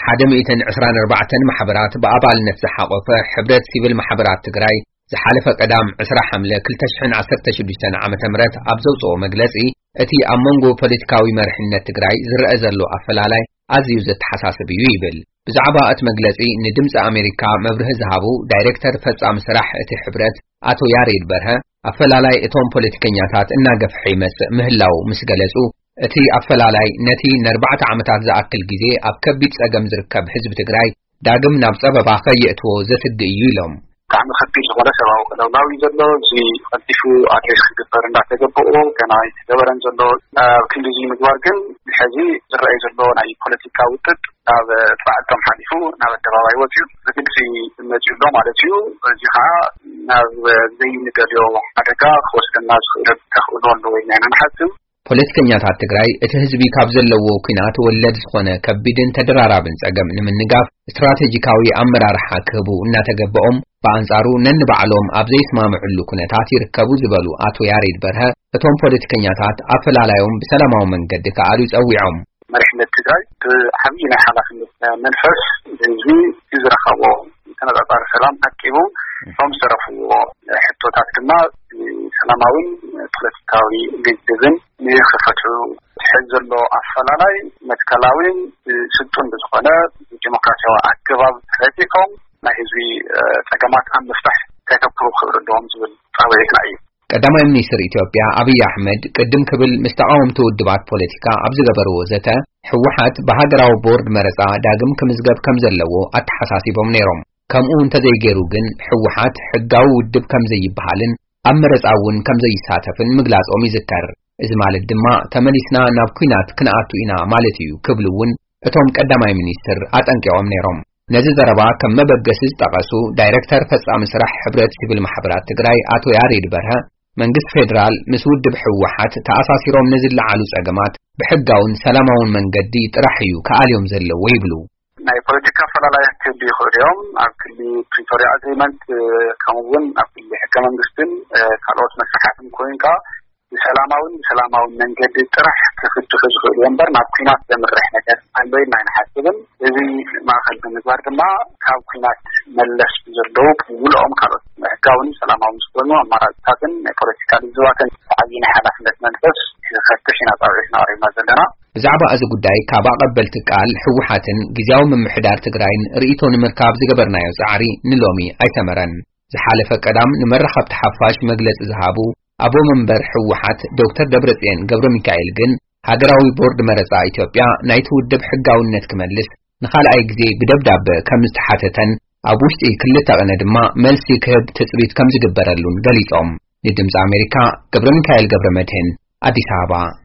ሓደ ሚእትን ዕስራን ኣርባዕተን ማሕበራት ብኣባልነት ዝሓቖፈ ሕብረት ሲቪል ማሕበራት ትግራይ ዝሓለፈ ቀዳም ዕስራ ሓምለ ክልተ ሽሕን ዓሰርተ ሽዱሽተን ዓመተ ምህረት ኣብ ዘውፅኦ መግለፂ፣ እቲ ኣብ መንጎ ፖለቲካዊ መሪሕነት ትግራይ ዝረአ ዘሎ ኣፈላላይ ኣዝዩ ዘተሓሳስብ እዩ ይብል። ብዛዕባ እቲ መግለፂ ንድምፂ ኣሜሪካ መብርሂ ዝሃቡ ዳይሬክተር ፈፃሚ ስራሕ እቲ ሕብረት ኣቶ ያሬድ በርሀ፣ ኣፈላላይ እቶም ፖለቲከኛታት እናገፍሐ ይመፅእ ምህላው ምስ ገለፁ፣ እቲ ኣፈላላይ ነቲ ንኣርባዕተ ዓመታት ዝኣክል ግዜ ኣብ ከቢድ ፀገም ዝርከብ ህዝቢ ትግራይ ዳግም ናብ ፀበባ ከየእትዎ ዘስግእ እዩ ኢሎም። ብጣዕሚ ከቢድ ዝኾነ ሰብኣዊ ቅልውላው እዩ ዘሎ። እዚ ቀልጢፉ ኣድሬስ ክግበር እንዳተገበኦ ገና ኣይተገበረን ዘሎ። ኣብ ክንዲ እዚ ምግባር ግን ሕዚ ዝረኣይ ዘሎ ናይ ፖለቲካ ውጥጥ ናብ ፃዕቶም ሓሊፉ ናብ ኣደባባይ ወፂኡ ብግልፂ መፂኡ ኣሎ ማለት እዩ። እዚ ከዓ ናብ ዘይንደልዮ ሓደጋ ክወስደና ዝኽእል ተኽእሎ ኣሎ ወይ ኢና ንሓስብ። ፖለቲከኛታት ትግራይ እቲ ህዝቢ ካብ ዘለዎ ኲናት ወለድ ዝኾነ ከቢድን ተደራራብን ጸገም ንምንጋፍ ስትራቴጂካዊ ኣመራርሓ ክህቡ እናተገበኦም፣ ብኣንጻሩ ነንባዕሎም ኣብ ዘይስማምዕሉ ኩነታት ይርከቡ ዝበሉ ኣቶ ያሬድ በርሀ፣ እቶም ፖለቲከኛታት ኣፈላላዮም ብሰላማዊ መንገዲ ክኣልዩ ጸዊዖም። መሪሕነት ትግራይ ብዓብዪ ናይ ሓላፍነት መንፈስ ህዝቢ ዝረኸቦ ተነጻጻሪ ሰላም ዓቂቡ፣ እቶም ዝተረፍዎ ሕቶታት ድማ ብሰላማውን ፖለቲካዊ ልዝብን ንክፈትሑ፣ ዝሕዝ ዘሎ ኣፈላላይ መትከላዊን ስልጡን ብዝኾነ ብዲሞክራሲያዊ ኣገባብ ረቂቖም ናይ ህዝቢ ጸገማት ኣብ ምፍታሕ ከተኩሩ ክኽእሉ ኣለዎም ዝብል ጻውዒትና እዩ። ቀዳማይ ሚኒስትር ኢትዮጵያ ኣብይ ኣሕመድ ቅድም ክብል ምስ ተቓወምቲ ውድባት ፖለቲካ ኣብ ዝገበርዎ ዘተ፣ ህወሓት ብሃገራዊ ቦርድ መረጻ ዳግም ክምዝገብ ከም ዘለዎ ኣተሓሳሲቦም ነይሮም። ከምኡ እንተዘይገይሩ ግን ህወሓት ሕጋዊ ውድብ ከም ዘይበሃልን ኣብ መረጻ እውን ከም ዘይሳተፍን ምግላጾም ይዝከር። እዚ ማለት ድማ ተመሊስና ናብ ኲናት ክንኣቱ ኢና ማለት እዩ ክብሉ እውን እቶም ቀዳማይ ሚኒስትር ኣጠንቂቖም ነይሮም። ነዚ ዘረባ ከም መበገሲ ዝጠቐሱ ዳይሬክተር ፈጻሚ ስራሕ ሕብረት ሲቪል ማሕበራት ትግራይ ኣቶ ያሬድ በርሀ፣ መንግስቲ ፌደራል ምስ ውድብ ህወሓት ተኣሳሲሮም ንዝለዓሉ ጸገማት ብሕጋውን ሰላማውን መንገዲ ጥራሕ እዩ ክኣልዮም ዘለዎ ይብሉ። ናይ ፖለቲካ ኣፈላላያት ክህሉ ይኽእሉ እዮም። ኣብ ክሊ ፕሪቶሪያ ኣግሪመንት፣ ከምኡ እውን ኣብ ክሊ ሕገ መንግስትን ካልኦት መስርሓትን ኮይንካ ብሰላማውን ብሰላማውን መንገዲ ጥራሕ ክፍትሑ ዝኽእሉ እዮም እምበር ናብ ኲናት ዘምርሕ ነገር ኣሎ ኢልና ኣይንሓስብን። እዚ ማእኸል ብምግባር ድማ ካብ ኲናት መለስ ብዘለዉ ብምልኦም ካልኦት ሕጋውን ሰላማውን ዝኾኑ ኣማራፅታትን ናይ ፖለቲካ ልዝባትን ብዓብዪ ናይ ሓላፍነት መንፈስ ክፈትሽ ኢና ፃውዒትና ኣቕሪብና ዘለና። ብዛዕባ እዚ ጉዳይ ካብ ኣቐበልቲ ቃል ህወሓትን ግዝያዊ ምምሕዳር ትግራይን ርእይቶ ንምርካብ ዝገበርናዮ ጻዕሪ ንሎሚ ኣይሰመረን። ዝሓለፈ ቀዳም ንመራኸብቲ ሓፋሽ መግለጺ ዝሃቡ ኣቦ መንበር ህወሓት ዶክተር ደብረጽዮን ገብረ ሚካኤል ግን፣ ሃገራዊ ቦርድ መረጻ ኢትዮጵያ ናይቲ ውድብ ሕጋውነት ክመልስ ንኻልኣይ ግዜ ብደብዳበ ከም ዝተሓተተን፣ ኣብ ውሽጢ ክልተ ቅነ ድማ መልሲ ክህብ ትጽቢት ከም ዝግበረሉን ገሊጾም። ንድምጺ ኣሜሪካ ገብረ ሚካኤል ገብረ መድህን፣ ኣዲስ ኣበባ።